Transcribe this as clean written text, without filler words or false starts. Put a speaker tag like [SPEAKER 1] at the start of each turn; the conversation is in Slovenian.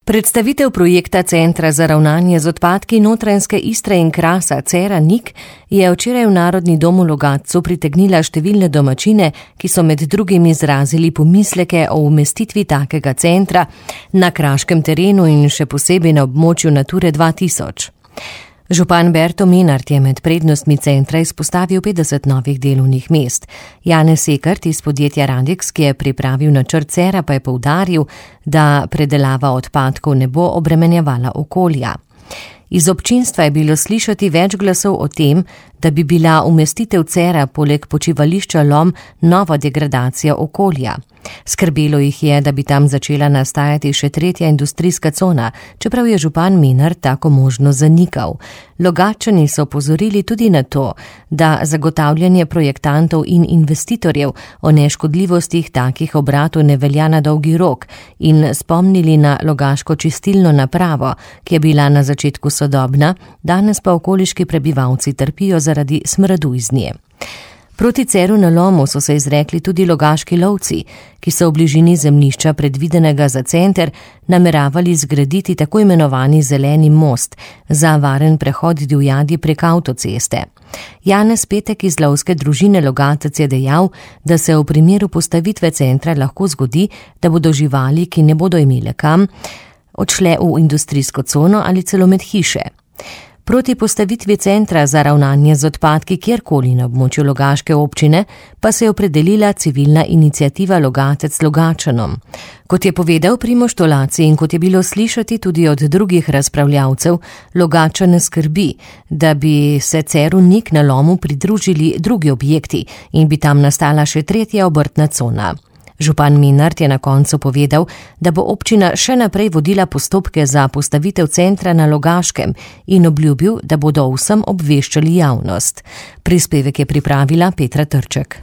[SPEAKER 1] Predstavitev projekta Centra za ravnanje z odpadki Notranjske Istre in Krasa Cera-Nik je včeraj v Narodni dom v Logatcu pritegnila številne domačine, ki so med drugim izrazili pomisleke o umestitvi takega centra na kraškem terenu in še posebej na območju Nature 2000. Župan Berto Menart je med prednostmi centra izpostavil 50 novih delovnih mest. Janez Sekert iz podjetja Radex, ki je pripravil načrt Cera, pa je poudaril, da predelava odpadkov ne bo obremenjevala okolja. Iz občinstva je bilo slišati več glasov o tem, da bi bila umestitev Cera poleg počivališča Lom nova degradacija okolja. Skrbelo jih je, da bi tam začela nastajati še tretja industrijska cona, čeprav je župan Menart tako možnost zanikal. Logatčani so opozorili tudi na to, da zagotavljanje projektantov in investitorjev o neškodljivostih takih obratov ne velja na dolgi rok in spomnili na logaško čistilno napravo, ki je bila na začetku sodobna, danes pa okoliški prebivalci trpijo zaradi smradu iz nje. Proti Ceru na Lomu so se izrekli tudi logaški lovci, ki so v bližini zemljišča predvidenega za center nameravali zgraditi tako imenovani zeleni most za varen prehod divjadi prek avtoceste. Janez Petek iz lovske družine Logatec je dejal, da se v primeru postavitve centra lahko zgodi, da bodo živali, ki ne bodo imele kam, odšle v industrijsko cono ali celo med hiše. Proti postavitvi centra za ravnanje z odpadki kjerkoli na območju Logaške občine pa se je opredelila civilna iniciativa Logatec Logatčanom. Kot je povedal Primož Tolaci in kot je bilo slišati tudi od drugih razpravljavcev, Logatčane skrbi, da bi se Ceru-Nik na Lomu pridružili drugi objekti in bi tam nastala še tretja obrtna cona. Župan Menart je na koncu povedal, da bo občina še naprej vodila postopke za postavitev centra na Logaškem in obljubil, da bodo o vsem obveščali javnost. Prispevek je pripravila Petra Trček.